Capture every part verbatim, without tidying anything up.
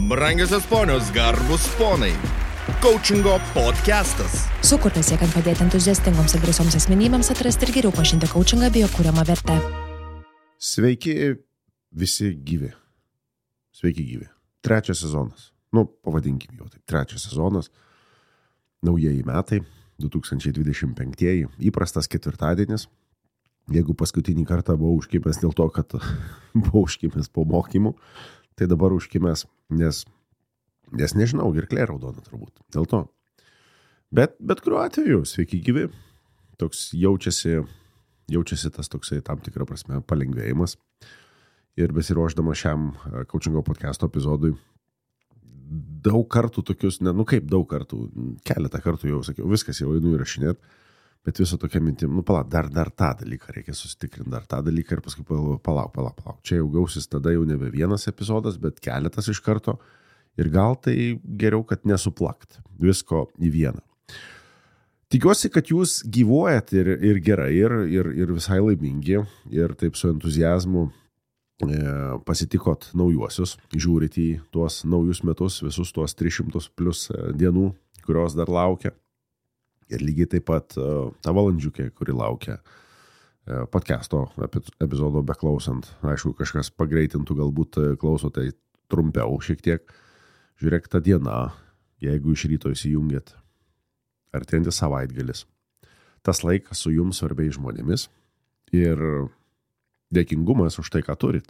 Brangiosios ponios, garbus ponai. Coachingo podcastas. Sukurtas siekiant padėti entuziastingoms ir drąsioms asmenybėms atrasti ir geriau pažinti coachingą bei jo kuriamą vertę. Sveiki visi gyvi. Sveiki gyvi. Trečias sezonas. Nu, pavadinkim jau taip. Trečias sezonas. Naujieji metai. du tūkstančiai dvidešimt penktieji. Įprastas ketvirtadienis. Jeigu paskutinį kartą buvau užkimęs dėl to, kad buvau užkimęs po mokymų, tai dabar užkimęs, nes, nes nežinau, girklė raudona turbūt. Dėl to. Bet, bet kuriuo atveju, sveiki gyvi. Toks jaučiasi, jaučiasi tas toksai tam tikrą prasme palengvėjimas. Ir besiruošdama šiam coachingo podcasto epizodui, daug kartų tokius, ne, nu kaip daug kartų, keletą kartų jau sakiau, viskas jau einu įrašinėt, bet viso tokia mintim, nu palauk, dar, dar tą dalyką reikia susitikrinti, dar tą dalyką ir paskui palauk, palauk, palauk, palauk. Čia jau gausis tada jau nebe vienas epizodas, bet keletas iš karto ir gal tai geriau, kad nesuplakt visko į vieną. Tikiuosi, kad jūs gyvuojat ir, ir gerai, ir, ir, ir visai laimingi, ir taip su entuziazmu pasitikot naujuosius, žiūrit į tuos naujus metus, visus tuos tris šimtus plus dienų, kurios dar laukia. Ir lygiai taip pat ta valandžiukė, kuri laukia podcasto epizodo beklausant. Aišku, kažkas pagreitintų, galbūt klauso tai trumpiau šiek tiek. Žiūrėk, ta diena, jeigu iš ryto įsijungėt, artėjantis savaitgalis. Tas laikas su jums svarbiais žmonėmis ir dėkingumas už tai, ką turit.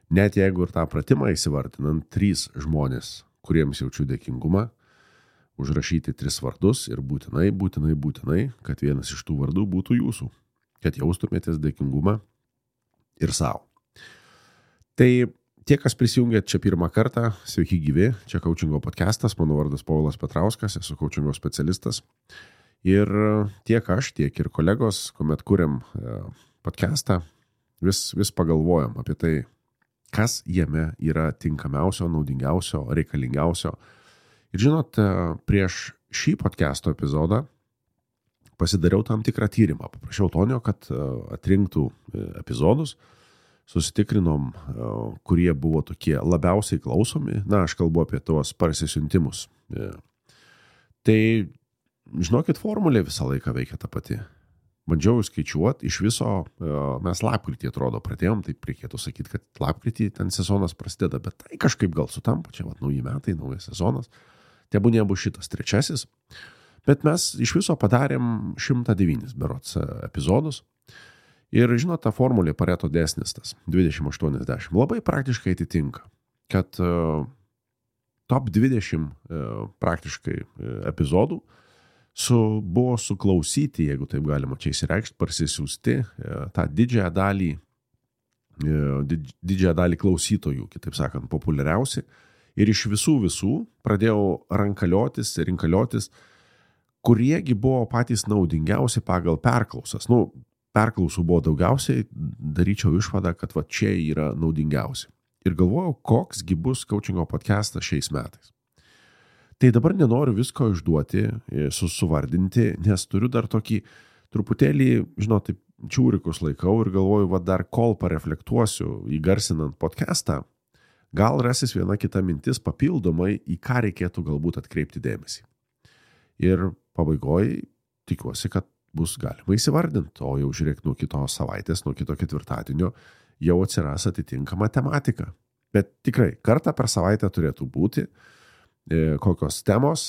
Net jeigu ir tą pratimą įsivardinant, trys žmonės, kuriems jaučiu dėkingumą, užrašyti tris vardus ir būtinai, būtinai, būtinai, kad vienas iš tų vardų būtų jūsų, kad jaustumėtės dėkingumą ir savo. Tai tie, kas prisijungėt čia pirmą kartą, sveiki gyvi, čia coachingo podcastas, mano vardas Povilas Petrauskas, esu coachingo specialistas. Ir tiek aš, tiek ir kolegos, kuomet kuriam podcastą, vis, vis pagalvojam apie tai, kas jame yra tinkamiausio, naudingiausio, reikalingiausio. Ir žinot, prieš šį podcasto epizodą pasidariau tam tikrą tyrimą. Paprašiau Tonio, kad atrinktų epizodus, susitikrinom, kurie buvo tokie labiausiai klausomi. Na, aš kalbu apie tuos parsisiuntimus. Tai, žinokit, formulė visą laiką veikia ta pati. Bandžiau skaičiuoti, iš viso mes lapkritį atrodo pradėjom, taip reikėtų sakyti, kad lapkritį ten sezonas prasideda, bet tai kažkaip gal sutampa, čia vat nauji metai, naujas sezonas, tebūnie bus šitas trečiasis, bet mes iš viso padarėm šimtą devynis berods epizodus ir žinot, ta formulė Pareto dėsnis tas dvidešimt aštuoniasdešimt labai praktiškai atitinka, kad top dvidešimt praktiškai epizodų Su, buvo suklausyti, jeigu taip galima čia įsireikšti, parsisiųsti tą didžiąją dalį, didž, didžiąją dalį klausytojų, kitaip sakant, populiariausi. Ir iš visų visų pradėjau rankaliotis ir rinkaliotis, kuriegi buvo patys naudingiausi pagal perklausas. Nu, perklausų buvo daugiausiai, daryčiau išvadą, kad va čia yra naudingiausi. Ir galvojau, koksgi bus coachingo podcastas šiais metais. Tai dabar nenoriu visko išduoti, susuvardinti, nes turiu dar tokį truputėlį, žinot, taip čiūrikus laikau ir galvoju, va dar kol pareflektuosiu įgarsinant podcastą, gal rasis viena kita mintis papildomai, į ką reikėtų galbūt atkreipti dėmesį. Ir pabaigoj tikiuosi, kad bus galima įsivardinti, o jau žiūrėk nuo kitos savaitės, nuo kito ketvirtadienio jau atsiras atitinkama tematika. Bet tikrai, kartą per savaitę turėtų būti kokios temos,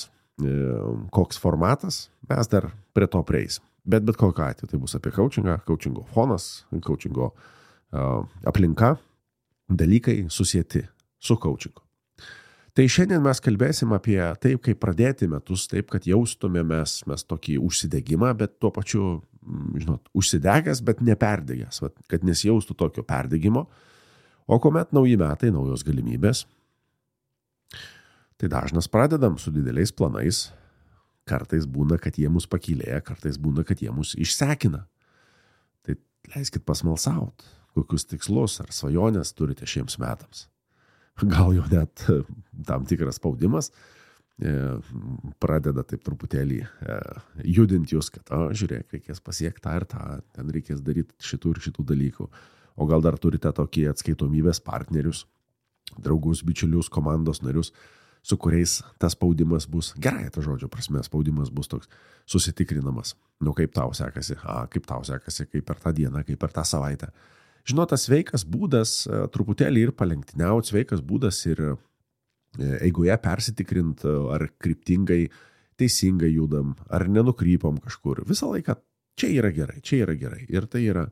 koks formatas, mes dar prie to prieisim. Bet bet kokiu atveju tai bus apie coachingą, coachingo fonas, coachingo uh, aplinka, dalykai susieti su coachingu. Tai šiandien mes kalbėsim apie taip, kaip pradėti metus, taip, kad jaustumėmės mes tokį užsidegimą, bet tuo pačiu, žinot, užsidegęs, bet neperdegęs, kad nesijaustų tokio perdegimo. O kuomet nauji metai, naujos galimybės, tai dažnas pradedam su dideliais planais, kartais būna, kad jie mus pakylėja, kartais būna, kad jie mus išsekina. Tai leiskit pasmalsaut, kokius tikslus ar svajonės turite šiems metams. Gal jau net tam tikras spaudimas pradeda taip truputėlį judinti jūs, kad, o, žiūrėk, reikės pasiekti tą ir tą, ten reikės daryti šitų ir šitų dalykų. O gal dar turite tokį atskaitomybės partnerius, draugus, bičiulius, komandos narius, su kuriais tas spaudimas bus, gerai, ta žodžio prasme, spaudimas bus toks susitikrinamas. Nu, kaip tau sekasi, a, kaip tau sekasi, kaip per tą dieną, kaip per tą savaitę. Žinot, tas sveikas būdas truputėlį ir palenktyniauti, sveikas būdas ir eigoje persitikrint, ar kryptingai, teisingai judam, ar nenukrypom kažkur. Visą laiką čia yra gerai, čia yra gerai. Ir tai yra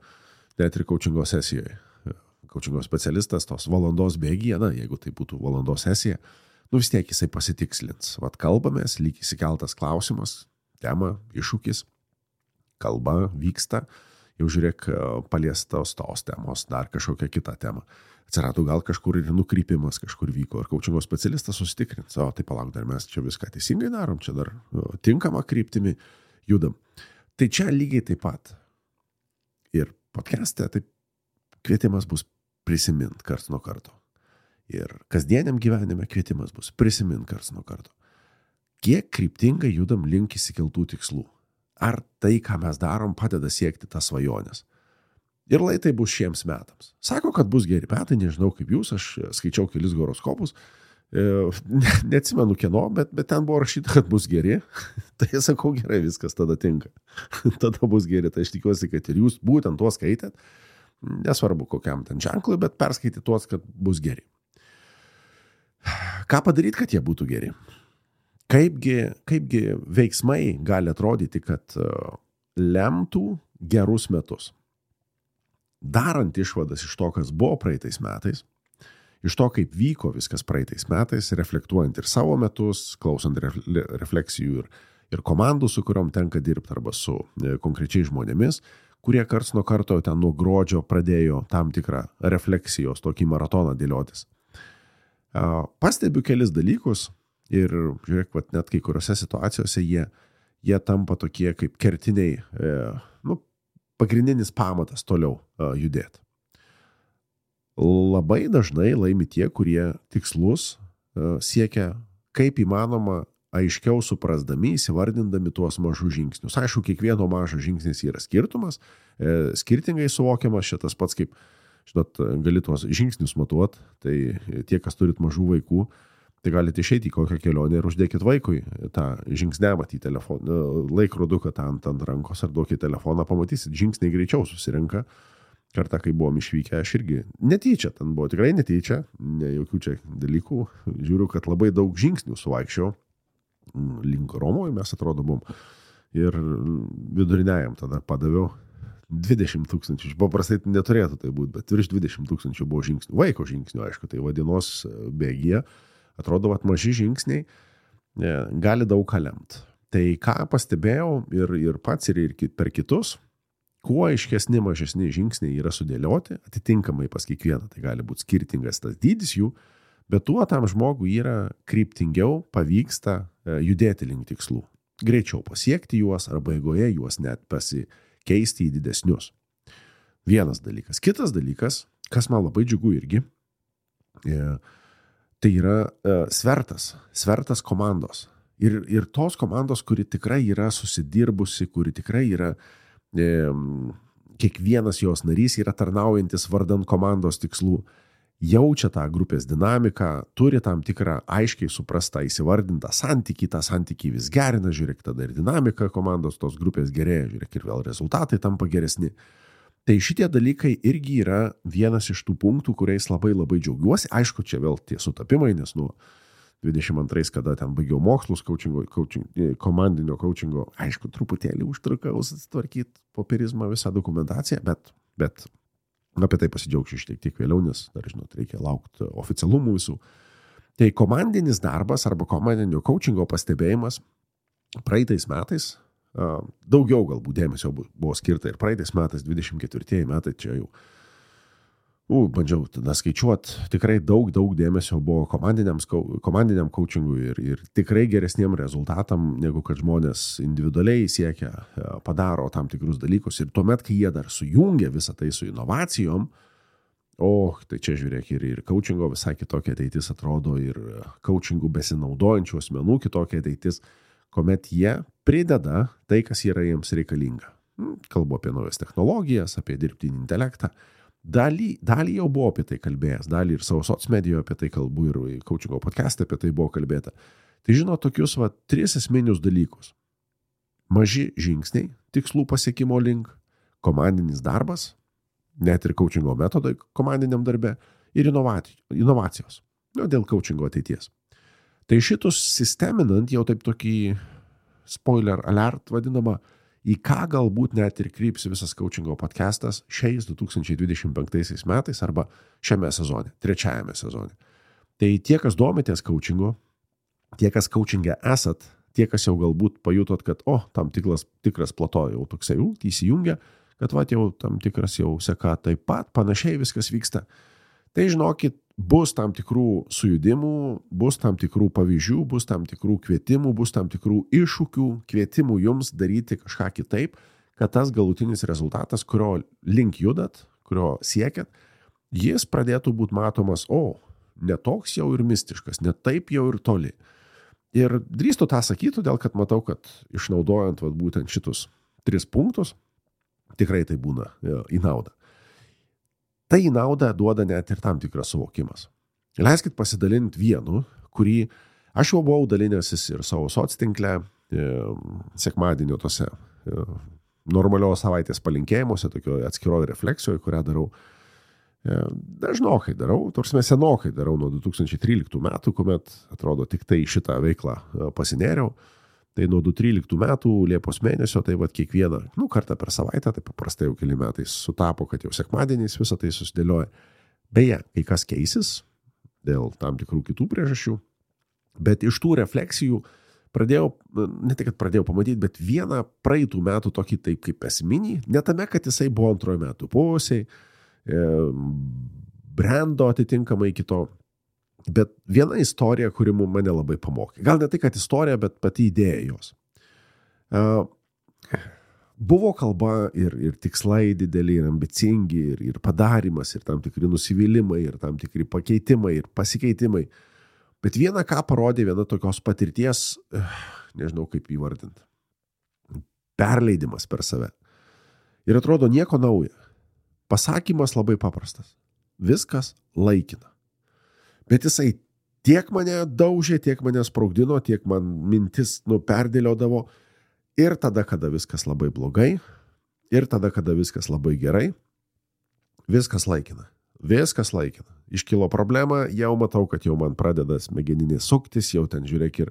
net ir coachingo sesijoje. Coachingo specialistas tos valandos bėgyje, na, jeigu tai būtų valandos sesija, nu vis tiek jisai pasitikslins. Vat kalbamės, lyg įsikeltas klausimas, tema, iššūkis, kalba vyksta, jau žiūrėk paliestos tos temos, dar kažkokią kitą temą. Atsirado gal kažkur ir nukrypimas kažkur vyko, ir coachingo specialistas susitikrins, o tai palauk, dar mes čia viską teisingai darom, čia dar tinkamą kryptimi judam. Tai čia lygiai taip pat. Ir podcast'e taip kvietimas bus prisimint karts nuo karto. Ir kasdieniam gyvenime kvietimas bus prisimint karts nuo karto. Kiek kryptingai judam link įsikeltų tikslų? Ar tai, ką mes darom, padeda siekti tas svajonės? Ir lai tai bus šiems metams. Sako, kad bus geri metai, nežinau kaip jūs, aš skaičiau kelis horoskopus, ne, neatsimenu kieno, bet, bet ten buvo rašyta, kad bus geri. Tai sakau, gerai, viskas tada tinka. Tada bus geri, tai aš tikiuosi, kad ir jūs būtent tuos skaitėt. Nesvarbu kokiam ten ženklui, bet perskaityti tuos, kad bus geri. Ką padaryti, kad jie būtų geri? Kaipgi, kaipgi veiksmai gali atrodyti, kad lemtų gerus metus? Darant išvadas iš to, kas buvo praeitais metais, iš to, kaip vyko viskas praeitais metais, reflektuojant ir savo metus, klausant refleksijų ir, ir komandų, su kuriuom tenka dirbti, arba su konkrečiais žmonėmis, kurie karts nuo karto ten nuo gruodžio pradėjo tam tikrą refleksijos, tokį maratoną dėliotis. Pastebiu kelis dalykus ir žiūrėk, vat, net kai kuriuose situacijose jie, jie tampa tokie kaip kertiniai, nu, pagrindinis pamatas toliau judėti. Labai dažnai laimi tie, kurie tikslus siekia kaip įmanoma aiškiau suprasdami, įsivardindami tuos mažus žingsnius. Aišku, kiekvieno mažas žingsnis yra skirtumas, e, skirtingai suvokiamas, šitas pats kaip, žinot, gali tuos žingsnius matuot, tai tie, kas turit mažų vaikų, tai galite išeiti į kokią kelionę ir uždėkit vaikui tą žingsnelį į telefoną, laikroduką tą ant, ant rankos ar duokit telefoną, pamatysit, žingsniai greičiau susirenka. Kartą, kai buvom išvykę, aš irgi netyčia, ten buvo tikrai netyčia, ne jokių čia dalykų, žiūriu, kad labai daug žingsnių suvaikščiau. Link Romoje mes atrodo buvom ir viduriniajam tada padaviau dvidešimt tūkstančių, paprastai neturėtų tai būti, bet virš dvidešimt tūkstančių buvo žingsnių, vaiko žingsnių, aišku, tai vadienos bėgyje, atrodo, kad maži žingsniai gali daug ką lemti. Tai ką pastebėjau ir, ir pats ir, ir per kitus, kuo aiškesni mažesni žingsniai yra sudėlioti, atitinkamai pas kiekvieną, tai gali būti skirtingas tas dydis jų, bet tuo tam žmogui yra kryptingiau pavyksta judėti link tikslų. Greičiau pasiekti juos arba eigoje juos net pasikeisti į didesnius. Vienas dalykas. Kitas dalykas, kas man labai džiugu irgi, tai yra svertas, svertas komandos. Ir, ir tos komandos, kuri tikrai yra susidirbusi, kuri tikrai yra, e, kiekvienas jos narys yra tarnaujantis vardan komandos tikslų, jaučia tą grupės dinamiką, turi tam tikrą aiškiai suprastą įsivardintą santykį, tą santykį vis gerina, žiūrėk, tada ir dinamika komandos tos grupės gerėja, žiūrėk, ir vėl rezultatai tampa geresni. Tai šitie dalykai irgi yra vienas iš tų punktų, kuriais labai labai džiaugiuosi. Aišku, čia vėl tie sutapimai, nes nuo dvidešimt antrais, kada ten baigiau mokslus coachingo, coaching, komandinio coachingo, aišku, truputėlį užtrukau susitvarkyti popierizmą visą dokumentaciją, bet, bet apie tai pasidžiaugsiu šiek tiek vėliau, nes dar, žinot, reikia laukti oficialumų visų. Tai komandinis darbas arba komandinio coachingo pastebėjimas praeitais metais, daugiau galbūt dėmesio buvo skirta ir praeitais metais, dvidešimt ketvirtieji metai, čia jau, u, bandžiau tada skaičiuoti, tikrai daug, daug dėmesio buvo komandiniam, komandiniam coachingui ir, ir tikrai geresniem rezultatam, negu kad žmonės individualiai siekia, padaro tam tikrus dalykus. Ir tuomet, kai jie dar sujungia visą tai su inovacijom, o, tai čia žiūrėk, ir, ir coachingo visai kitokia ateitis atrodo, ir coachingų besinaudojančių asmenų kitokia ateitis, kuomet jie prideda tai, kas yra jiems reikalinga. Kalbu apie naujas technologijas, apie dirbtinį intelektą. Dalį, dalį jau buvo apie tai kalbėjęs, dalį ir savo socmedijoje apie tai kalbu ir coachingo podcast'e apie tai buvo kalbėta. Tai žino tokius va, tris esminius dalykus. Maži žingsniai, tikslų pasiekimo link, komandinis darbas, net ir coachingo metodai komandiniam darbe ir inovacijos, nu, dėl coachingo ateities. Tai šitus sisteminant jau taip tokį spoiler alert vadinamą, į ką galbūt net ir kryps visas coachingo podcastas šiais du tūkstančiai dvidešimt penktaisiais metais arba šiame sezone, trečiajame sezone. Tai tie, kas domitės coachingo, tie, kas coachingė esat, tie, kas jau galbūt pajutot, kad, o, tam tikras, tikras plato jau toksai jau įsijungia, kad va, jau tam tikras jau seka taip pat, panašiai viskas vyksta. Tai žinokit, bus tam tikrų sujudimų, bus tam tikrų pavyzdžių, bus tam tikrų kvietimų, bus tam tikrų iššūkių, kvietimų jums daryti kažką kitaip, kad tas galutinis rezultatas, kurio link judat, kurio siekiat, jis pradėtų būti matomas, o, ne toks jau ir mistiškas, ne taip jau ir toli. Ir drįstu tą sakyti, todėl kad matau, kad išnaudojant vat, būtent šitus tris punktus, tikrai tai būna ja, į naudą. Tai į naudą duoda net ir tam tikras suvokimas. Leiskit pasidalinti vienu, kurį aš jau buvau dalinęsis ir savo soctinkle, e, sekmadienio tose e, normalios savaitės palinkėjimuose, tokioje atskiroje refleksijoje, kurią darau. E, dažnokai darau, tarsi senokai darau nuo du tūkstančiai tryliktų metų, kuomet atrodo tik tai šitą veiklą e, pasinėriau. Tai nuo du tūkstančiai tryliktų metų Liepos mėnesio, tai vat kiekvieną, nu, kartą per savaitę, tai paprastai jau keli metai sutapo, kad jau sekmadieniais visą tai susidėlioja. Beje, kai kas keisis dėl tam tikrų kitų priežasčių, bet iš tų refleksijų pradėjau, ne tik, kad pradėjau pamatyti, bet vieną praeitų metų tokį taip kaip esminį, ne tame, kad jisai buvo antrojo metų pusiai, e, brando atitinkamai kito. Bet viena istorija, kuri mane labai pamokė. Gal ne tai, kad istorija, bet pati idėja jos. Uh, buvo kalba ir, ir tikslai dideli, ir ambicingi, ir, ir padarimas, ir tam tikri nusivylimai, ir tam tikri pakeitimai, ir pasikeitimai. Bet viena, ką parodė viena tokios patirties, uh, nežinau kaip įvardinti, perleidimas per save. Ir atrodo nieko nauja. Pasakymas labai paprastas. Viskas laikina. Bet jisai tiek mane daužė, tiek mane spraugdino, tiek man mintis nu, perdėliodavo. Ir tada, kada viskas labai blogai, ir tada, kada viskas labai gerai, viskas laikina. Viskas laikina. Iškilo problema, jau matau, kad jau man pradeda smegeninė suktis, jau ten žiūrėk ir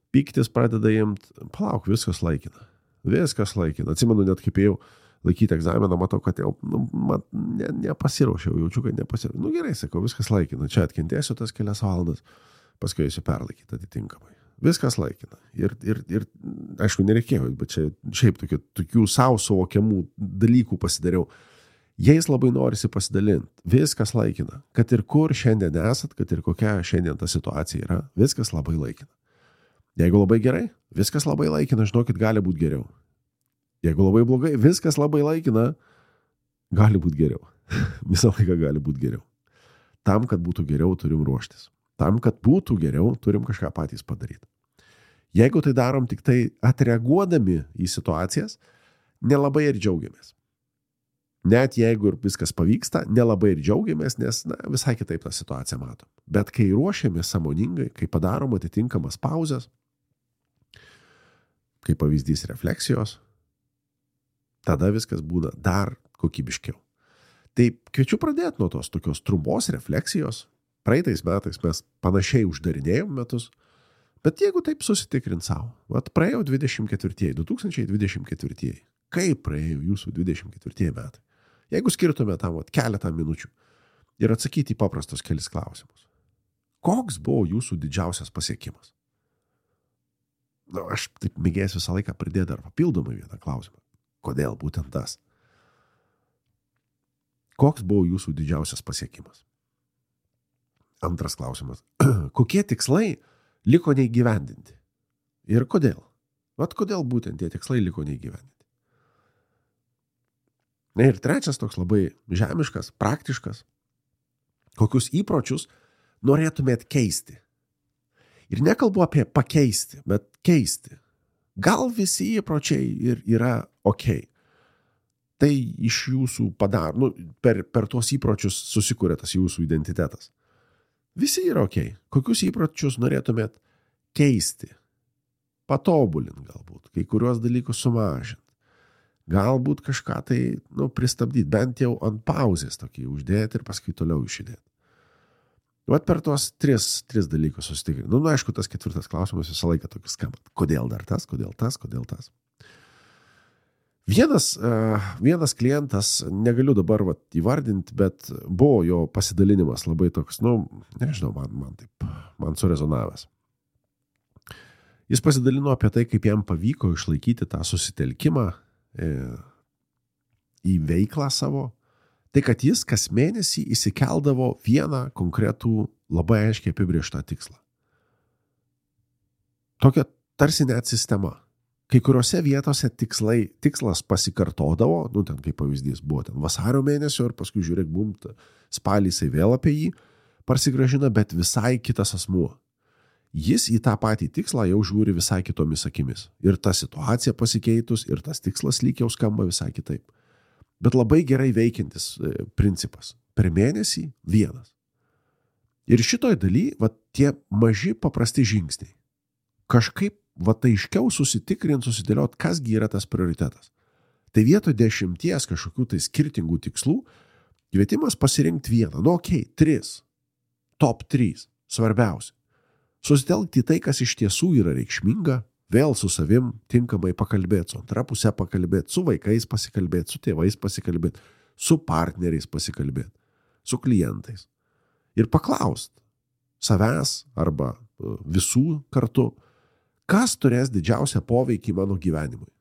pyktis pradeda imt. Palauk, viskas laikina. Viskas laikina. Atsimenu, net kaip jau laikyti egzaminą, matau, kad jau nu, man, ne, nepasiraušiau, jaučiu, kad nepasiraušiau. Nu gerai, sakau, viskas laikina. Čia atkentėsiu tas kelias valandas, paskui eisiu perlaikyti atitinkamai. Viskas laikina. Ir, ir, ir aišku, nereikėjo, bet čia šiaip tokių, tokių savo suvokiamų dalykų pasidariau. Jais labai norisi pasidalinti. Viskas laikina. Kad ir kur šiandien esat, kad ir kokia šiandien ta situacija yra, viskas labai laikina. Jeigu labai gerai, viskas labai laikina, žinokit, gali būti geriau. Jeigu labai blogai, viskas labai laikina, gali būti geriau. Visą laiką gali būti geriau. Tam, kad būtų geriau, turim ruoštis. Tam, kad būtų geriau, turim kažką patys padaryti. Jeigu tai darom tik tai atreaguodami į situacijas, nelabai ir džiaugiamės. Net jeigu ir viskas pavyksta, nelabai ir džiaugiamės, nes na, visai kitaip tą situaciją matom. Bet kai ruošiamės sąmoningai, kai padarom atitinkamas pauzes, kai pavyzdys refleksijos, tada viskas būna dar kokybiškiau. Tai kviečiu pradėti nuo tos tokios trumpos refleksijos. Praeitais metais mes panašiai uždarinėjom metus, bet jeigu taip susitikrint savo, vat praėjo dvidešimt ketvirtieji, du tūkstančiai dvidešimt ketvirtieji, kaip praėjo jūsų dvidešimt ketvirtieji metai? Jeigu skirtume tam vat, keletą minučių ir atsakyti į paprastus kelis klausimus. Koks buvo jūsų didžiausias pasiekimas? Na, aš taip mėgėjęs visą laiką pridėti dar papildomai vieną klausimą. Kodėl būtent tas? Koks buvo jūsų didžiausias pasiekimas? Antras klausimas. Kokie tikslai liko neįgyvendinti? Ir kodėl? Vat kodėl būtent tie tikslai liko neįgyvendinti? Na ir trečias toks labai žemiškas, praktiškas. Kokius įpročius norėtumėt keisti? Ir nekalbu apie pakeisti, bet keisti. Gal visi įpročiai ir yra ok. tai iš jūsų padaro, nu, per, per tuos įpročius susikuria tas jūsų identitetas. Visi yra okei. Kokius įpročius norėtumėt keisti? Patobulinti galbūt, kai kuriuos dalykus sumažinti. Galbūt kažką tai, nu, pristabdyti, bent jau ant pauzės tokį uždėti ir paskui toliau išidėti. Vat per tuos tris, tris dalykus susitikrinti. Nu, nu, aišku, tas ketvirtas klausimas visą laiką tokis skamba. Kodėl dar tas, kodėl tas, kodėl tas? Vienas, uh, vienas klientas, negaliu dabar vat, įvardinti, bet buvo jo pasidalinimas labai toks, nu, nežinau, man, man taip, man surezonavęs. Jis pasidalino apie tai, kaip jam pavyko išlaikyti tą susitelkimą e, į veiklą savo. Tai, kad jis kas mėnesį įsikeldavo vieną konkretų labai aiškiai apibrėžtą tikslą. Tokia tarsi net sistema. Kai kuriuose vietose tikslai, tikslas pasikartodavo, nu ten kaip pavyzdys buvo ten vasario mėnesio ir paskui žiūrėk, bum, spalį jisai vėl apie jį parsigražina, bet visai kitas asmuo. Jis į tą patį tikslą jau žiūri visai kitomis akimis. Ir ta situacija pasikeitus, ir tas tikslas lyg jau skamba visai kitaip. Bet labai gerai veikiantis principas. Per mėnesį vienas. Ir šitoj daly, va, tie maži paprasti žingsniai. Kažkaip, va, tai aiškiau susitikrint, susidėliot, kasgi yra tas prioritetas. Tai vietoj dešimties kažkokių tai skirtingų tikslų, kvietimas pasirinkti vieną. Nu, okei, okay, tris. Top trys. Svarbiausia. Susitelkti tai, kas iš tiesų yra reikšminga, vėl su savim tinkamai pakalbėti, su antra pusė pakalbėti, su vaikais pasikalbėti, su tėvais pasikalbėti, su partneriais pasikalbėti, su klientais. Ir paklaust savęs arba visų kartu, kas turės didžiausią poveikį mano gyvenimui.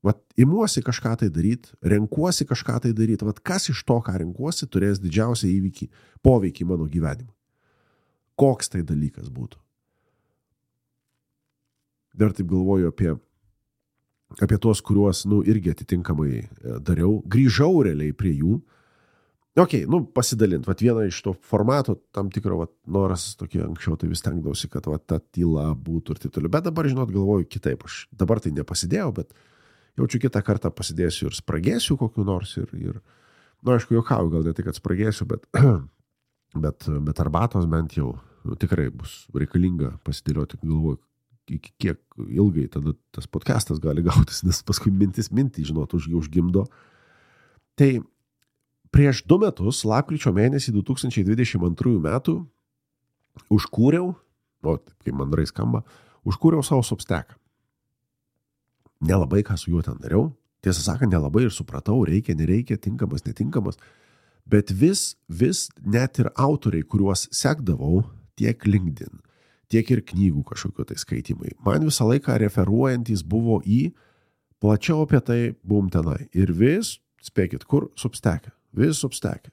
Vat imuosi kažką tai daryti, renkuosi kažką tai daryti, vat kas iš to, ką renkuosi, turės didžiausią įvykį, poveikį mano gyvenimui. Koks tai dalykas būtų? Dar taip galvoju apie, apie tuos, kuriuos, nu, irgi atitinkamai dariau. Grįžau realiai prie jų. Ok, nu, pasidalint. Vat vieną iš to formato, tam tikro, vat, noras tokie anksčiau, tai vis tenkdausi, kad vat, ta tyla būtų ir taip toliau. Bet dabar, žinot, galvoju kitaip. Aš dabar tai nepasidėjau, bet jaučiu kitą kartą pasidėsiu ir spragėsiu kokiu nors. Ir, ir nu, aišku, juokauju, gal ne tai, kad spragėsiu, bet, bet, bet arbatos bent jau nu, tikrai bus reikalinga pasidėlioti, galvoju, iki kiek ilgai tada tas podcastas gali gautis, nes paskui mintis mintį, žinot, už, užgimdo. Tai prieš du metus, lapkričio mėnesį du tūkstančiai dvidešimt antrųjų metų, užkūriau, o taip kaip mandrai skamba, užkūriau savo Substacką. Nelabai ką su juo ten dariau, tiesą sakant, nelabai ir supratau, reikia, nereikia, tinkamas, netinkamas, bet vis, vis net ir autoriai, kuriuos sekdavau, tiek LinkedIn, tiek ir knygų kažkokio tai skaitimai. Man visą laiką referuojantis buvo į plačiau apie tai buvom tenai. Ir vis, spėkit, kur Substackę. Vis Substackę.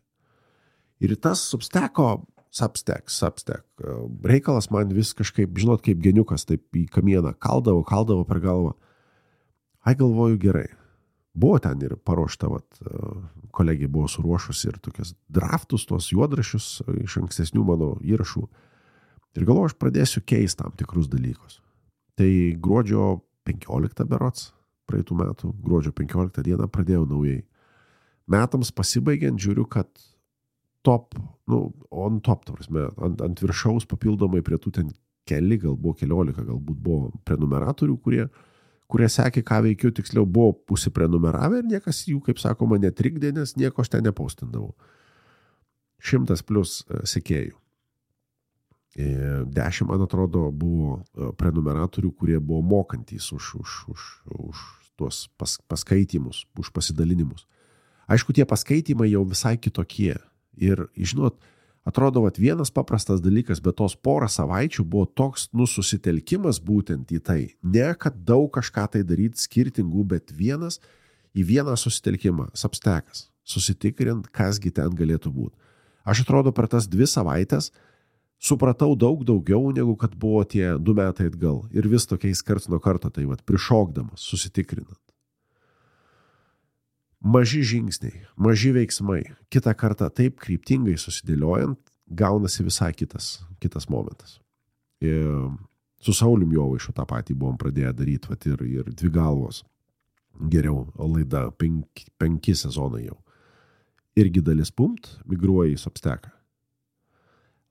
Ir tas Substacko, Substack, Substack, reikalas man vis kažkaip, žinot, kaip geniukas, taip į kamieną kaldavo, kaldavo per galvą. Ai, galvoju, gerai. Buvo ten ir paruošta, vat, kolegė buvo suruošus ir tokias draftus, tuos juodrašius iš ankstesnių mano įrašų. Ir galvoju, aš pradėsiu keisti tam tikrus dalykus. Tai gruodžio penkioliktą berods, praeitų metų, gruodžio penkioliktą dieną pradėjau naujai. Metams pasibaigiant žiūriu, kad top, nu, on top, tavrasme, ant, ant viršaus papildomai prie tų ten keli, gal buvo keliolika, galbūt buvo prenumeratorių, kurie, kurie sekė, ką veikiu, tiksliau buvo pusiprenumeravę ir niekas jų, kaip sakoma, netrikdė, nes nieko aš ten nepaustindavau. Šimtas plus sekėjų. Dešimt, man atrodo, buvo prenumeratorių, kurie buvo mokantys už, už, už, už tuos pas, paskaitimus, už pasidalinimus. Aišku, tie paskaitimai jau visai kitokie. Ir, žinot, atrodo, vat, vienas paprastas dalykas, bet tos porą savaičių buvo toks nususitelkimas būtent į tai. Ne, kad daug kažką tai daryti skirtingų, bet vienas į vieną susitelkimą, Substackas, susitikrint, kasgi ten galėtų būti. Aš atrodo, per tas dvi savaitės supratau daug daugiau, negu kad buvo tie du metai atgal. Ir vis tokiais karts nuo karto, tai vat, prišokdamas, susitikrinant. Maži žingsniai, maži veiksmai. Kitą kartą taip kryptingai susidėliojant, gaunasi visai kitas, kitas momentas. Ir su Saulium Jovaišu tą patį buvom pradėję daryti, vat, ir, ir dvi galvos. geriau laida, penki, penki sezonai jau. Irgi dalis Pumt migruoja į Substacką.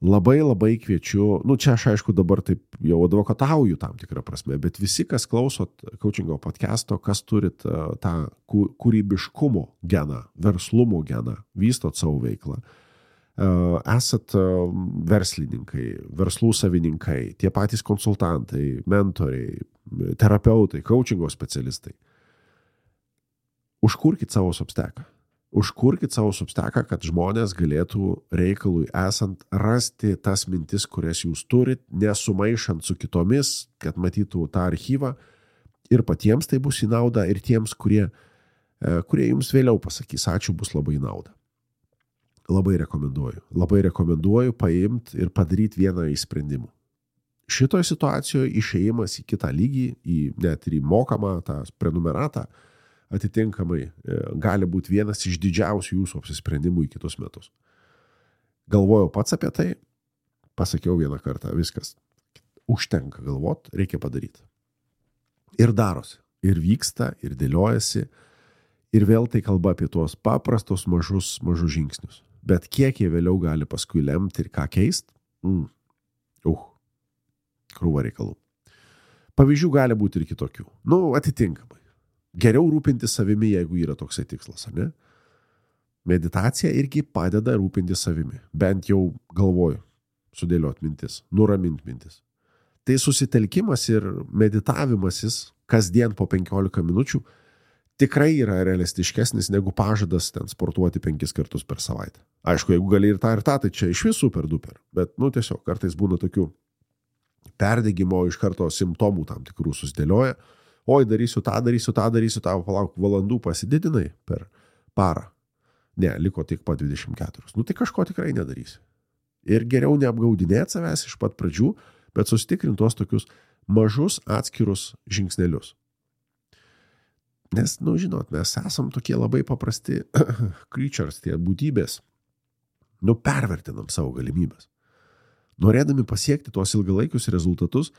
Labai labai kviečiu, nu čia aš aišku dabar taip jau advokatauju tam tikrą prasme, bet visi, kas klausot coachingo podcast'o, kas turit uh, tą kūrybiškumo geną, verslumo geną, vystot savo veiklą, uh, esat uh, verslininkai, verslų savininkai, tie patys konsultantai, mentoriai, terapeutai, coachingo specialistai. Užkurkit savo Substacką. Užkurkit savo Substacką, kad žmonės galėtų reikalui esant rasti tas mintis, kurias jūs turit, nesumaišant su kitomis, kad matytų tą archyvą ir patiems tai bus į naudą ir tiems, kurie, kurie jums vėliau pasakys, ačiū, bus labai į naudą. Labai rekomenduoju. Labai rekomenduoju paimti ir padaryti vieną iš sprendimų. Šitoje situacijoje išėjimas į kitą lygį, į net ir į mokamą tą prenumeratą, atitinkamai gali būti vienas iš didžiausių jūsų apsisprendimų į kitus metus. Galvojau pats apie tai, pasakiau vieną kartą, viskas. Užtenka galvot, reikia padaryti. Ir darosi, ir vyksta, ir dėliojasi, ir vėl tai kalba apie tuos paprastus mažus, mažus žingsnius. Bet kiek jie vėliau gali paskui lemti ir ką keist, mm, uh, krūva reikalų. Pavyzdžių gali būti ir kitokių. Nu, atitinkamai. Geriau rūpinti savimi, jeigu yra toksai tikslas, ne? Meditacija irgi padeda rūpinti savimi. Bent jau galvoju, sudėliot mintis, nuramint mintis. Tai susitelkimas ir meditavimasis kasdien po penkiolika minučių tikrai yra realistiškesnis negu pažadas ten sportuoti penkis kartus per savaitę. Aišku, jeigu gali ir tą ir tą, tai čia iš vis super duper. Bet, nu, tiesiog kartais būna tokių perdegimo iš karto simptomų tam tikrų susidėlioja. Oi, darysiu tą, darysiu tą, darysiu tą, palauk, valandų pasididinai per parą. Ne, liko tik po dvidešimt keturios. Nu tai kažko tikrai nedarysi. Ir geriau neapgaudinėti savęs iš pat pradžių, bet susitikrinti tuos tokius mažus atskirus žingsnelius. Nes, nu žinot, mes esam tokie labai paprasti creatures, tie būtybės. Nu pervertinam savo galimybės. Norėdami pasiekti tuos ilgalaikius rezultatus,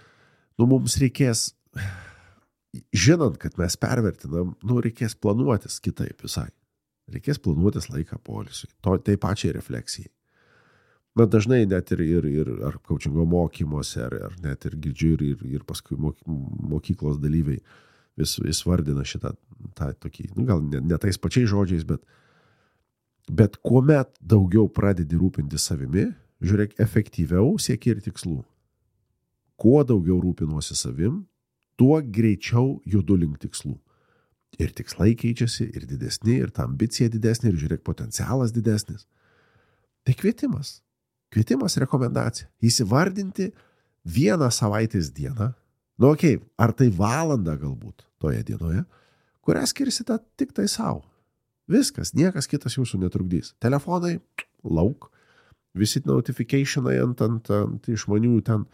nu mums reikės... Žinant, kad mes pervertinam, nu, reikės planuotis kitaip visai. Reikės planuotis laiką poilsiui, to, tai pačiai refleksijai. Bet dažnai net ir, ir, ir ar coachingo mokymuose, ar, ar net ir girdžiu ir, ir, ir paskui mokyklos dalyviai vis, vis vardina šitą tą tokį, nu, gal ne, ne tais pačiais žodžiais, bet, bet kuomet daugiau pradedi rūpinti savimi, žiūrėk, efektyviau sieki ir tikslų. Kuo daugiau rūpinuosi savim, tuo greičiau judu link tikslų. Ir tikslai keičiasi, ir didesni, ir ta ambicija didesnė, ir žiūrėk, potencialas didesnis. Tai kvietimas. Kvietimas rekomendacija. Įsivardinti vieną savaitės dieną, nu okei, okay, ar tai valandą galbūt toje dienoje, kurią skirsite tik tai savo. Viskas, niekas kitas jūsų netrukdys. Telefonai, lauk, visi notificationai ant, ant, ant išmanių ten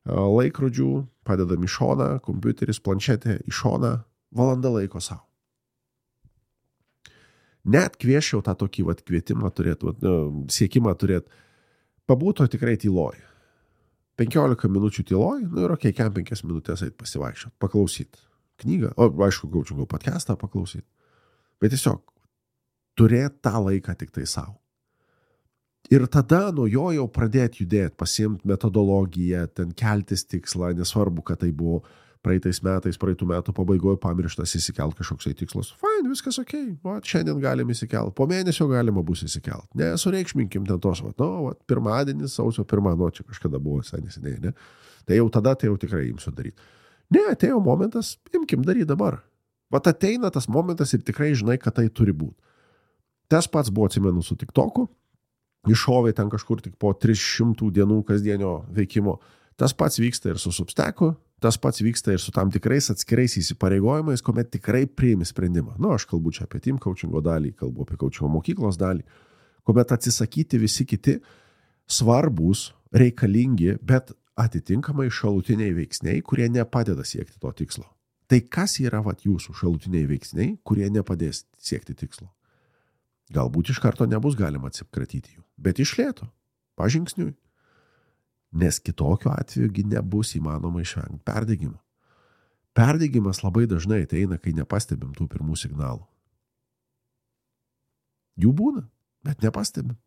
laikrodžių, padedam į šoną, kompiuteris, planšetė į šoną, valanda laiko savo. Net kvieščiau tą tokį vat, kvietimą turėt, vat, nu, siekimą turėt, pabūto tikrai tyloj. penkiolika minučių tyloj, nu ir okei, kem penkias minutės eit pasivaikščiot, paklausyt knygą, o aišku, coachingo podcastą paklausyt. Bet tiesiog turėt tą laiką tik tai savo. Ir tada nuo jo jau pradėti judėti, pasiimti metodologiją, ten keltis tikslą, nesvarbu, kad tai buvo praeitais metais, praeitų metų pabaigoje pamirštas įsikelt kažkoksai tikslas. Fine, viskas okei, okay. Šiandien galim įsikelt, po mėnesio galima bus įsikelt. Ne, sureikšminkim ten tos, va, no, va, pirmadienis, sausio pirmą, nu, čia kažkada buvo visai neseniai, ne? Tai jau tada, tai jau tikrai imsiu daryti. Ne, atėjo momentas, imkim daryti dabar. Vat ateina tas momentas ir tikrai žinai, kad tai turi būti. Tas pats buvo, atsimenu, su TikToku. Iššovė ten kažkur tik po tris šimtų dienų kasdienio veikimo. Tas pats vyksta ir su Substacku, tas pats vyksta ir su tam tikrais atskirais įsipareigojimais, kuomet tikrai priimi sprendimą. Nu, aš kalbu čia apie team coachingo dalį, kalbu apie coachingo mokyklos dalį, kuomet atsisakyti visi kiti svarbus, reikalingi, bet atitinkamai šalutiniai veiksniai, kurie nepadeda siekti to tikslo. Tai kas yra vat jūsų šalutiniai veiksniai, kurie nepadės siekti tikslo? Galbūt iš karto nebus galima atsikratyti jų, bet iš lėto, pažingsniui. Nes kitokiu atveju nebus įmanoma išvengti perdegimo. Perdegimas labai dažnai ateina, kai nepastebim tų pirmų signalų. Jų būna, bet nepastebim.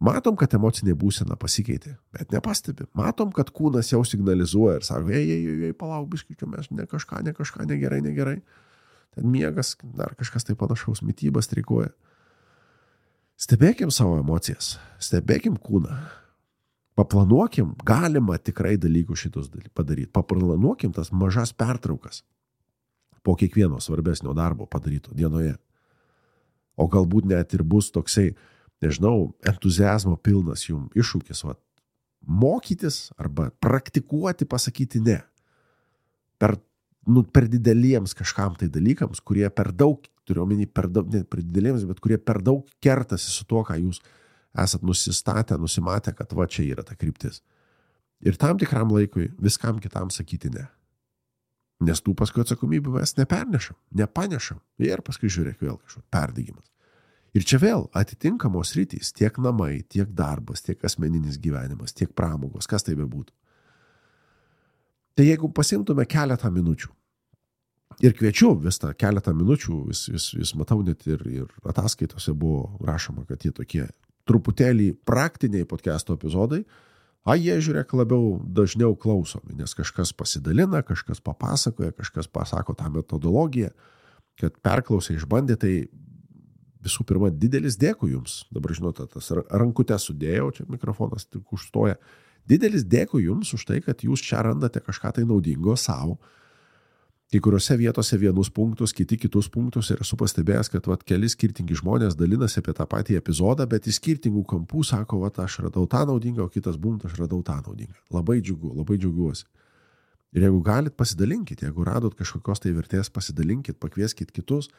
Matom, kad emocinė būsena pasikeitė, bet nepastebim. Matom, kad kūnas jau signalizuoja ir sako, ei, ei, ei, palauk, biškičiu, mes ne kažką, ne kažką, negerai, negerai. Ten miegas, dar kažkas tai panašaus, mitybas streikuoja. Stebėkim savo emocijas, stebėkim kūną. Paplanuokim, galima tikrai dalykų šitus padaryti. Paplanuokim tas mažas pertraukas po kiekvieno svarbesnio darbo padaryto dienoje. O galbūt net ir bus toksai, nežinau, entuziazmo pilnas jums iššūkis, va, mokytis arba praktikuoti pasakyti ne. Per, nu, per dideliems kažkam tai dalykams, kurie per daug, turiu omeny, per daug, ne per dideliems, bet kurie per daug kertasi su tuo, ką jūs esat nusistatę, nusimatę, kad va čia yra ta kryptis. Ir tam tikram laikui viskam kitam sakyti ne. Nes tų paskui atsakomybių mes nepernešam, nepanešam. Ir paskui žiūrėk vėl kažkoks perdegimas. Ir čia vėl atitinkamos rytys, tiek namai, tiek darbas, tiek asmeninis gyvenimas, tiek pramogos, kas tai bebūtų. Tai jeigu pasimtume keletą minučių, ir kviečiu vis tą keletą minučių, vis, vis, vis matau net ir, ir ataskaitose buvo rašoma, kad jie tokie truputėlį praktiniai podcast'o epizodai, a jie žiūrėk labiau dažniau klausomi, nes kažkas pasidalina, kažkas papasakoja, kažkas pasako tą metodologiją, kad perklausė, išbandė, tai visų pirma, didelis dėkui jums. Dabar žinote, tas rankutę sudėjau, čia mikrofonas tik užstoja. Didelis dėkui jums už tai, kad jūs čia randate kažką tai naudingo savo. Kai kuriuose vietose vienus punktus, kiti kitus punktus ir esu pastebėjęs, kad vat, keli skirtingi žmonės dalinasi apie tą patį epizodą, bet iš skirtingų kampų sako, vat, aš radau tą naudingą, o kitas bumt, aš radau tą naudingą. Labai džiugu, labai džiaugiuosi. Ir jeigu galit, pasidalinkit, jeigu radot kažkokios tai vertės, pasidalinkit, pakvieskit kitus,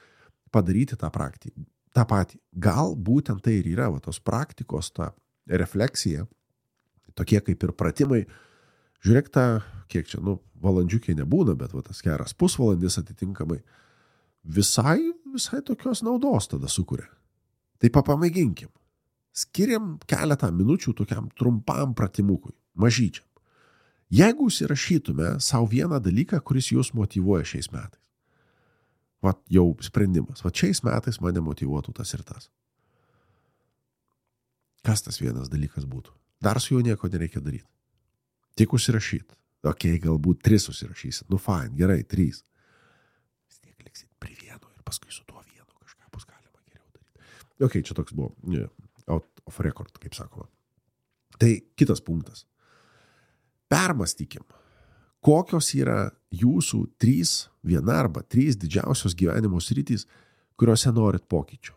padaryti tą praktiką. tą patį. Gal būtent tai ir yra, va, tos praktikos, ta refleksija, tokie kaip ir pratimai. Žiūrėk tą, kiek čia, nu, valandžiukiai nebūna, bet va, tas geras pusvalandis atitinkamai visai, visai tokios naudos tada sukuria. Tai papamėginkim. Skiriam keletą minučių tokiam trumpam pratimukui, mažyčiam. Jeigu įsirašytume savo vieną dalyką, kuris jūs motyvuoja šiais metais. Vat jau sprendimas. Vat šiais metais mane motyvuotų tas ir tas. Kas tas vienas dalykas būtų? Dar su juo nieko nereikia daryti. Tik užsirašyti. Ok, galbūt tris užsirašysit. Nu, fine, gerai, trys. Vis tiek liksit prie vieno ir paskui su tuo vienu kažką bus galima geriau daryti. Ok, čia toks buvo yeah, out of record, kaip sakoma. Tai kitas punktas. Permąstykim. Kokios yra jūsų trys, viena arba trys didžiausios gyvenimo sritys, kuriuose norit pokyčių.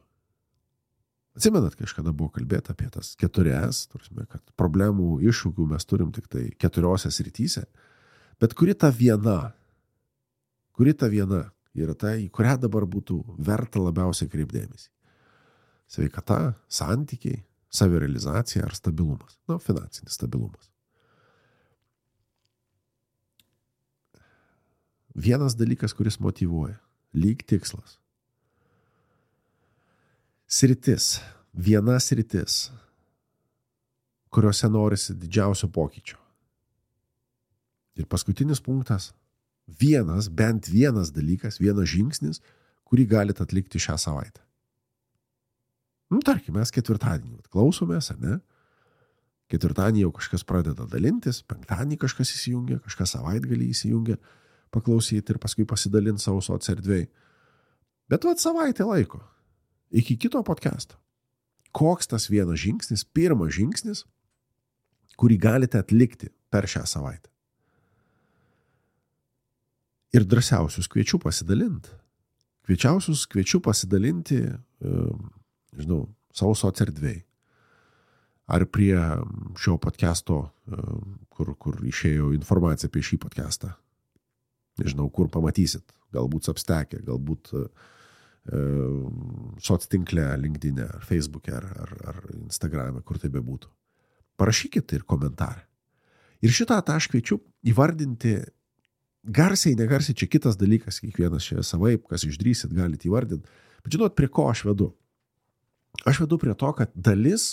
Atsimenat, kažkada buvo kalbėta apie tas keturias, turime, kad problemų, iššūkių mes turim tik tai keturiose srityse, bet kuri ta viena, kuri ta viena yra ta, į kurią dabar būtų verta labiausiai kreipdėmėsi. Sveikata, santykiai, savirealizacija ar stabilumas. Nu, finansinis stabilumas. Vienas dalykas, kuris motyvuoja. Lyg tikslas. Sritis. Viena sritis, kuriuose norisi didžiausio pokyčio. Ir paskutinis punktas. Vienas, bent vienas dalykas, vienas žingsnis, kurį galite atlikti šią savaitę. Nu, tarkim, mes ketvirtadienį klausomės, ar ne? Ketvirtadienį jau kažkas pradeda dalintis, penktadienį kažkas įsijungia, kažkas savaitgalį įsijungia, paklausyti ir paskui pasidalinti savo soc erdvėj. Bet vat savaitę laiko. Iki kito podcast'o. Koks tas vienas žingsnis, pirmas žingsnis, kurį galite atlikti per šią savaitę. Ir drąsiausius kviečiu pasidalinti. Kviečiausius kviečiu pasidalinti, žinau, savo soc erdvėj. Ar prie šio podcast'o, kur, kur išėjo informacija apie šį podcast'ą. Nežinau, kur pamatysit. Galbūt Substack'e, galbūt e, soc tinkle, LinkedIn'e, ar Facebook'e, ar, ar, ar Instagram'e, kur tai bebūtų. Parašykit ir komentarą. Ir šitą tą aš kviečiu įvardinti garsiai, negarsiai, čia kitas dalykas, kiekvienas čia savaip, kas išdrįsit, galite įvardinti. Bet žinot, prie ko aš vedu? Aš vedu prie to, kad dalis,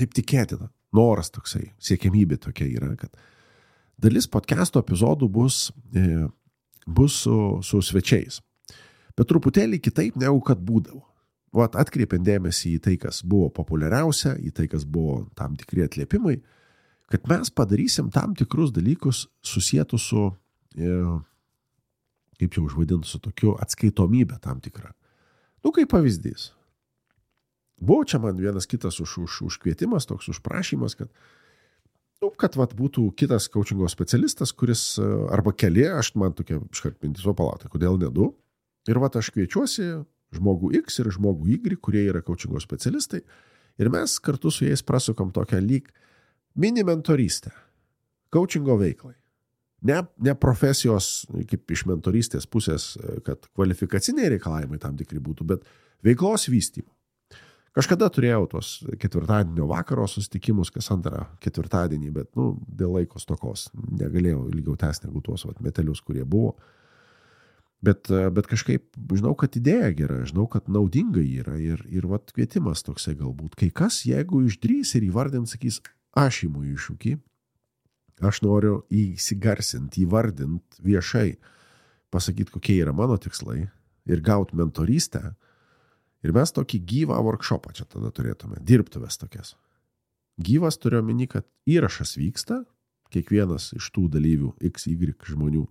taip tikėtina, noras toksai, siekiamybė tokia yra, kad dalis podcast'o epizodų bus e, bus su, su svečiais. Bet truputėlį kitaip negu kad būdavo. Vat atkreipiant dėmesį į tai, kas buvo populiariausia, į tai, kas buvo tam tikri atliepimai, kad mes padarysim tam tikrus dalykus susietų su, e, kaip jau užvadinti, su tokiu atskaitomybė tam tikra. Nu, kaip pavyzdys. Buvo čia man vienas kitas už, už, užkvietimas, toks užprašymas, kad, nu, kad vat, būtų kitas coachingo specialistas, kuris, arba keli, aš man tokia iškart mintis, o palatai, kodėl ne du? Ir vat aš kviečiuosi žmogų X ir žmogų Y, kurie yra coachingo specialistai, ir mes kartu su jais prasukam tokią lyg mini mentorystę, coachingo veiklai. Ne, ne profesijos, kaip iš mentorystės pusės, kad kvalifikaciniai reikalavimai tam tikri būtų, bet veiklos vystymo. Kažkada turėjau tos ketvirtadienio vakaro susitikimus, kas antrą ketvirtadienį, bet, nu, dėl laiko stokos negalėjau ilgiau tęsti negu tuos vat, metelius, kurie buvo. Bet, bet kažkaip žinau, kad idėja gera, žinau, kad naudinga yra ir, ir vat, kvietimas toksai galbūt. Kai kas, jeigu išdrys ir įvardint, sakys, aš įmu iššūkį, aš noriu įsigarsinti, įvardint viešai, pasakyti, kokie yra mano tikslai ir gauti mentorystę. Ir mes tokį gyvą workshopą čia tada turėtume, dirbtuvės tokias. Gyvas turiu omeny, kad įrašas vyksta, kiekvienas iš tų dalyvių X Y žmonių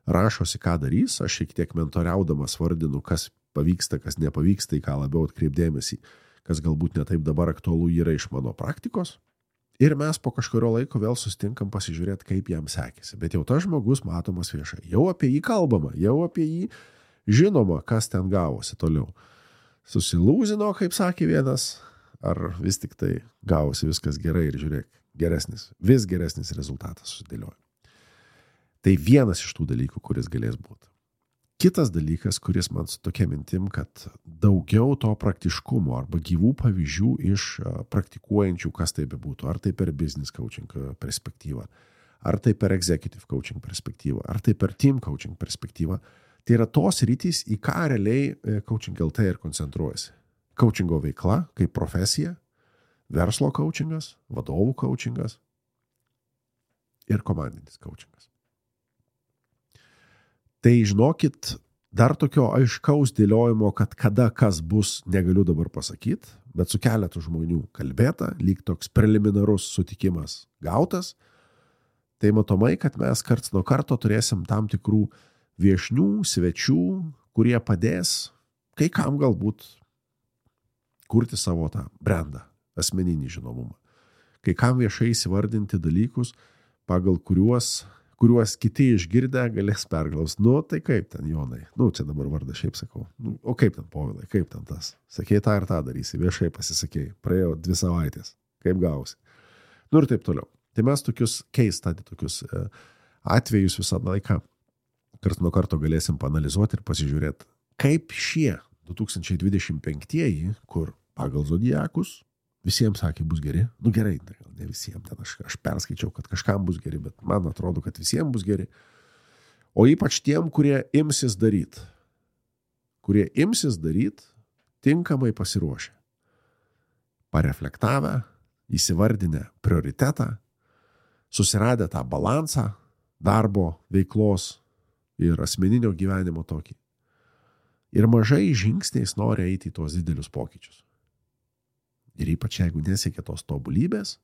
rašosi, ką darys, aš šiek tiek mentoriaudamas vardinu, kas pavyksta, kas nepavyksta, į ką labiau atkreipdėmėsi, kas galbūt netaip dabar aktualu yra iš mano praktikos. Ir mes po kažkurio laiko vėl susitinkam pasižiūrėti, kaip jam sekėsi. Bet jau tas žmogus matomas viešai, jau apie jį kalbama, jau apie jį žinoma, kas ten gavosi toliau. Susilūzino, kaip sakė vienas, ar vis tik tai gavosi viskas gerai ir žiūrėk, geresnis, vis geresnis rezultatas susidėlioja. Tai vienas iš tų dalykų, kuris galės būti. Kitas dalykas, kuris man su tokia mintim, kad daugiau to praktiškumo arba gyvų pavyzdžių iš praktikuojančių, kas tai bebūtų, ar tai per business coaching perspektyvą, ar tai per executive coaching perspektyvą, ar tai per team coaching perspektyvą. Tai yra tos rytys, į ką realiai Coaching L T ir koncentruojasi. Coachingo veikla kaip profesija, verslo coachingas, vadovų coachingas ir komandinis coachingas. Tai žinokit, dar tokio aiškaus dėliojimo, kad kada kas bus, negaliu dabar pasakyti, bet su keletu žmonių kalbėta, lyg toks preliminarus sutikimas gautas, tai matomai, kad mes karts nuo karto turėsim tam tikrų viešnių, svečių, kurie padės kai kam galbūt kurti savo tą brandą, asmeninį žinomumą. Kai kam viešai įsivardinti dalykus, pagal kuriuos, kuriuos kiti išgirdę galės perklaus. Nu, tai kaip ten, Jonai? Nu, čia dabar vardą šiaip sakau. Nu, o kaip ten, Povilai? Kaip ten tas? Sakei tą ir tą darysi, viešai pasisakei. Praėjo dvi savaitės. Kaip gausi? Nu ir taip toliau. Tai mes tokius case study, tokius e, atvejus visą laiką kart nuo karto galėsim paanalizuoti ir pasižiūrėti, kaip šie du tūkstančiai dvidešimt penktieji, kur pagal zodiakus visiems sakė bus geri, nu gerai, ne visiems, ten aš, aš perskaičiau, kad kažkam bus geri, bet man atrodo, kad visiems bus geri, o ypač tiem, kurie imsis daryti, kurie imsis daryti, tinkamai pasiruošę, pareflektavę, įsivardinę prioritetą, susiradę tą balansą darbo, veiklos ir asmeninio gyvenimo tokį. Ir mažai žingsniais nori eiti į tuos didelius pokyčius. Ir ypač jeigu nesiekia tos tobulybės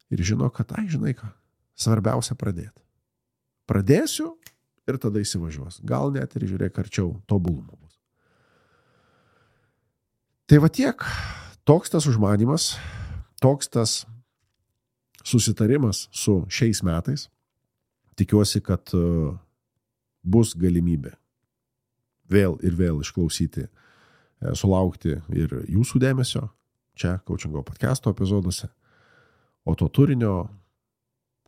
ir žino, kad, ai, žinai ką, svarbiausia pradėti. Pradėsiu ir tada įsivažiuos. Gal net ir žiūrėk arčiau tobulumo bus. Tai va tiek, toks tas užmanymas, toks tas susitarimas su šiais metais. Tikiuosi, kad bus galimybė vėl ir vėl išklausyti, sulaukti ir jūsų dėmesio čia Coachingo podcast'o epizoduose, o to turinio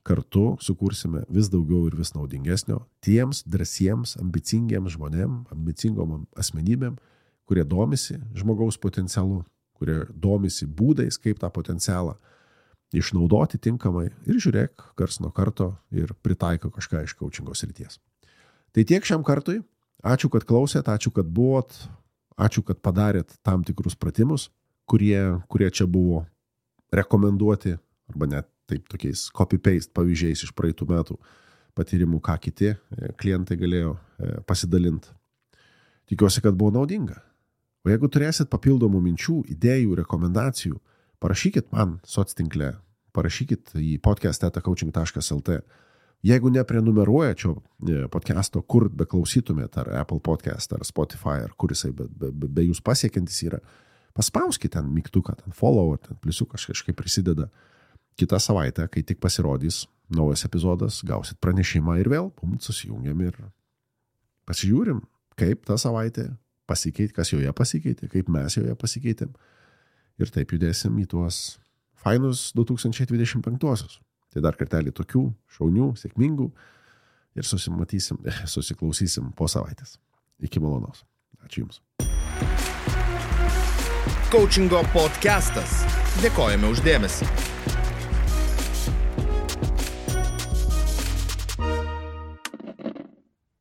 kartu sukursime vis daugiau ir vis naudingesnio tiems drąsiems, ambicingiems žmonėm, ambicingom asmenybėm, kurie domisi žmogaus potencialu, kurie domisi būdais, kaip tą potencialą išnaudoti tinkamai ir žiūrėk kars nuo karto ir pritaiko kažką iš coachingo srities. Tai tiek šiam kartui. Ačiū, kad klausėt, ačiū, kad buvot, ačiū, kad padarėt tam tikrus pratimus, kurie, kurie čia buvo rekomenduoti, arba net taip tokiais copy-paste pavyzdžiais iš praeitų metų patyrimų, ką kiti klientai galėjo pasidalinti. Tikiuosi, kad buvo naudinga. O jeigu turėsit papildomų minčių, idėjų, rekomendacijų, parašykit man soctinkle, parašykit į podcast eta coaching taškas lt. Jeigu neprenumeruoja šio podcast'o, kur beklausytumėt, ar Apple Podcast, ar Spotify, ar kur jisai be, be, be jūs pasiekiantis yra, paspauskit ten mygtuką, ten follow, ten pliusiukas kažkaip prisideda. Kitą savaitę, kai tik pasirodys naujas epizodas, gausit pranešimą ir vėl, pum, susijungiam ir pasižiūrim, kaip tą savaitę pasikeitė, kas joje pasikeitė, kaip mes joje pasikeitėm. Ir taip judėsim į tuos fainus du tūkstančiai dvidešimt penktuosius. Tai dar kartelį tokių šaunių, sėkmingų ir susimatysim, susiklausysim po savaitės. Iki malonaus. Ačiū Jums. Coachingo podcastas. Dėkojame už dėmesį.